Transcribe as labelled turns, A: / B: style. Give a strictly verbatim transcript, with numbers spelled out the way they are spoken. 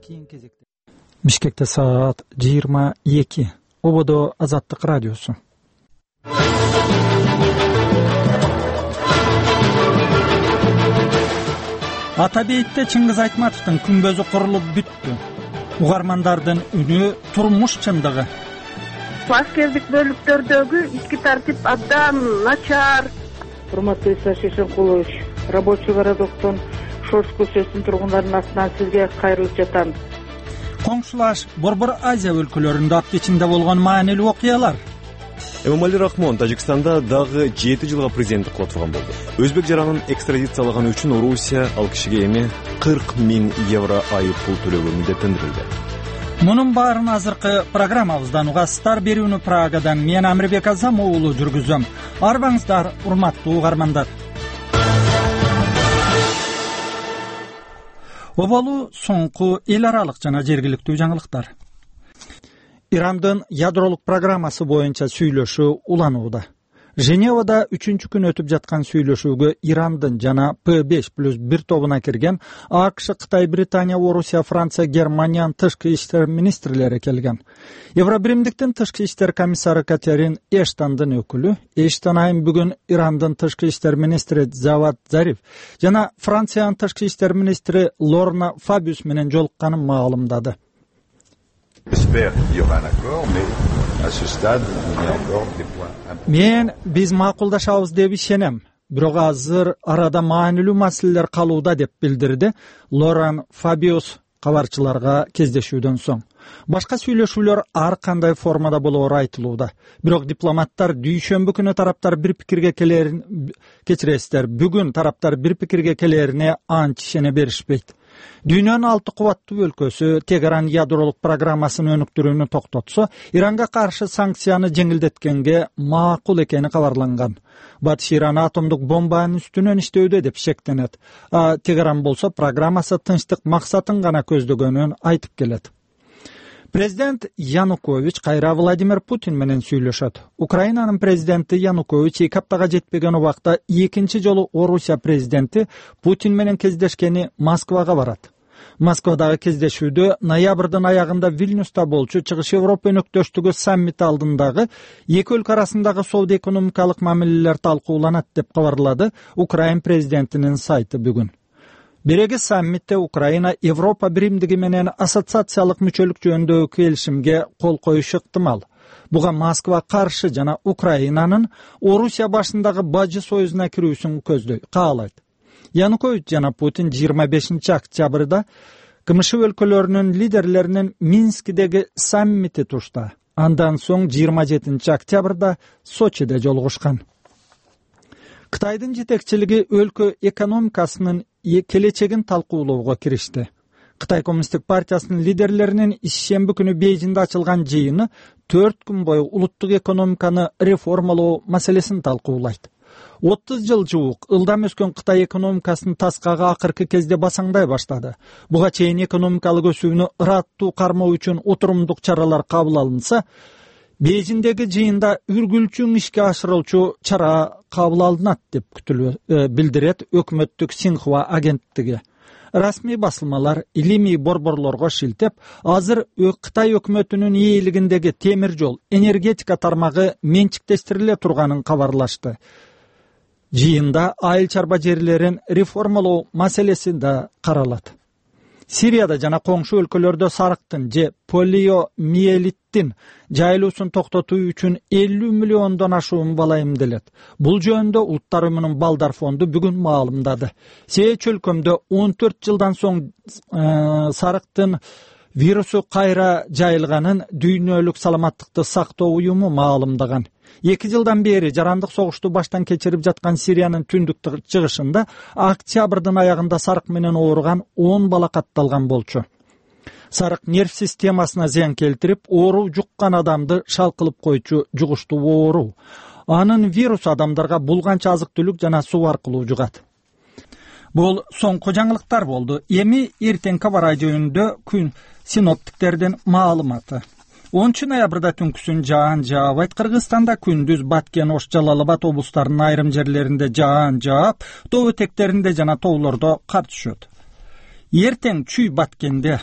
A: кийин кезекте Бишкекте саат жыйырма эки. Ободо Азаттык радиосу. Ата бейитте Чыңгыз Айтматовдун күмбөзү курулуп бүттү. Угармандардын үнү турмуш чындыгы.
B: Аскердик бөлүктөрдөгү ички тартип абдан начар. Урматтуу Иса Шишенкулович, рабочий городоктон Шорс көчөсүнүн тургундарынын атынан сизге кайрылып жатам.
A: Коңшулаш Борбор Азия өлкөлөрүндө апта ичинде болгон маанилүү окуялар.
C: Эмомали Рахмон Тажикстанда дагы жети жылга президенттик кылып турган болду. Өзбек жаранын экстрадициялаганы үчүн Орусия ал кишиге эми кырк миң евро айып пул төлөөгө милдеттендирилди.
A: Мунун баарын азыркы программабыздан угасыздар. Берүүнү Прагадан мен Амирбек Азам уулу жүргүзөм. Арбаңыздар, урматтуу угармандар. Оболу соңку эл аралык жана жергиликтүү жаңылыктар. Ирандын ядролук программасы боюнча сүйлөшүү уланууда. Женевада үчүнчү күн өтүп жаткан сүйлөшүүгө Ирандын жана П беш плюс бир тобуна кирген АКШ, Кытай, Британия, Орусия, Франция, Германиянын тышкы иштер министрлери келген. Евробиримдиктин тышкы иштер комиссары Катерин Эштондун өкүлү Эштон айым бүгүн Ирандын тышкы иштер министри Завад Зариф жана Франциянын тышкы иштер министри Лорна Фабиус менен жолукканын маалымдады. Мен биз макулдашабыз деп ишенем, бирок азыр арада маанилүү маселелер калууда деп билдирди Лоран Фабиус кабарчыларга кездешүүдөн соң. Башка сүйлөшүүлөр ар кандай формада болоору айтылууда. Бирок дипломаттар дүйшөмбү күнү тараптар бир пикирге келерин кечиресиздер. Бүгүн тараптар бир пикирге келерине анча ишене беришпейт. Дүйнөнүн алты кубаттуу өлкөсү Тегеран ядролук программасын өнүктүрүүнү токтотсо, Иранга каршы санкцияны жеңилдеткенге макул экени кабарланган. Батыш Иран атомдук бомбанын үстүнөн иштөөдө деп шектенет. А Тегеран болсо программасы тынчтык максатын гана көздөгөнүн айтып келет. Президент Янукович кайра Владимир Путин менен сүйлөшөт. Украинанын президенти Янукович эки аптага жетпеген убакта экинчи жолу Орусия президенти Путин менен кездешкени Москвага барат. Москвадагы кездешүүдө ноябрдын аягында Вильнюста болчу Чыгыш Европа өнөктөштүгү саммити алдындагы эки өлкө арасындагы соода-экономикалык мамилелер талкууланат деп кабарлады Украин президентинин сайты бүгүн. Береги саммитте Украина Европа биримдиги менен ассоциациялык мүчөлүк жөнүндөгү келишимге кол коюшу ыктымал. Буга Москва каршы жана Украинанын Орусия башындагы бажы союзуна кирүүсүн көздөй, каалайт. Янукович жана Путин жыйырма бешинчи октябрда КМШ өлкөлөрүнүн лидерлеринин Минскидеги саммити тушта. Андан соң жыйырма жетинчи октябрда Сочиде жолугушкан. Кытайдын жетекчилиги өлкө экономикасынын келечегин талкуулоого киришти. Кытай Коммунисттик партиясынын лидерлеринин ишемби күнү Бейжиңде ачылган жыйыны төрт күн бою улуттук экономиканы реформалоо маселесин талкуулайт. отуз жыл жуук ылдам өскөн Кытай экономикасынын таскагы акыркы кезде басаңдай баштады. Буга чейин экономикалык өсүүнү ыраттуу кармоо үчүн отурумдук чаралар кабыл алынса, Бейжиңдеги жыйында үргүлчүң ишке ашырылчу чара кабыл алынат деп күтүлүп билдирет өкмөттүк Синхуа агенттиги. Расмий басылмалар илимий борборлорго шилтеп, азыр Кытай өкмөтүнүн ээлигиндеги темир жол, энергетика тармагы менчиктештириле турганын кабарлашты. Жыйында айыл чарба жерлерин реформалоо маселеси да каралат. Сирияда жана коңшу өлкөлөрдө сарыктын же полиомиелиттин жайылуусун токтотуу үчүн элүү миллиондон ашуун бала эмделет. Бул жөнүндө Улуттар уюмунун Балдар фонду бүгүн маалымдады. Сээ чөлкөмдө он төрт жылдан соң э, сарыктын вирусу кайра жайылганын Дүйнөлүк саламаттыкты сактоо уюму маалымдаган. Эки жылдан бери жарандык согушту баштан кечирип жаткан Сириянын түндүк чыгышында октябрдын аягында сарык менен ооруган он бала катталган болчу. Сарык нерв системасына зыян келтирип, оору жуккан адамды шалкылып койчу жугуштуу оору. Анын вирусу адамдарга булганча азык-түлүк жана суу аркылуу жугат. Бул соңку жаңылыктар болду. Эми эртеңки абар жөнүндө күн синоптиктердин маалыматы. онунчу ноябрда түнкүсүн жаан жаабайт. Кыргызстанда күндүз Баткен, Ош, Жалал Абад облустарынын айрым жерлеринде жаан жаап, тоо этектеринде жана тоолордо кар түшөт. Эртең Чүй Баткенде,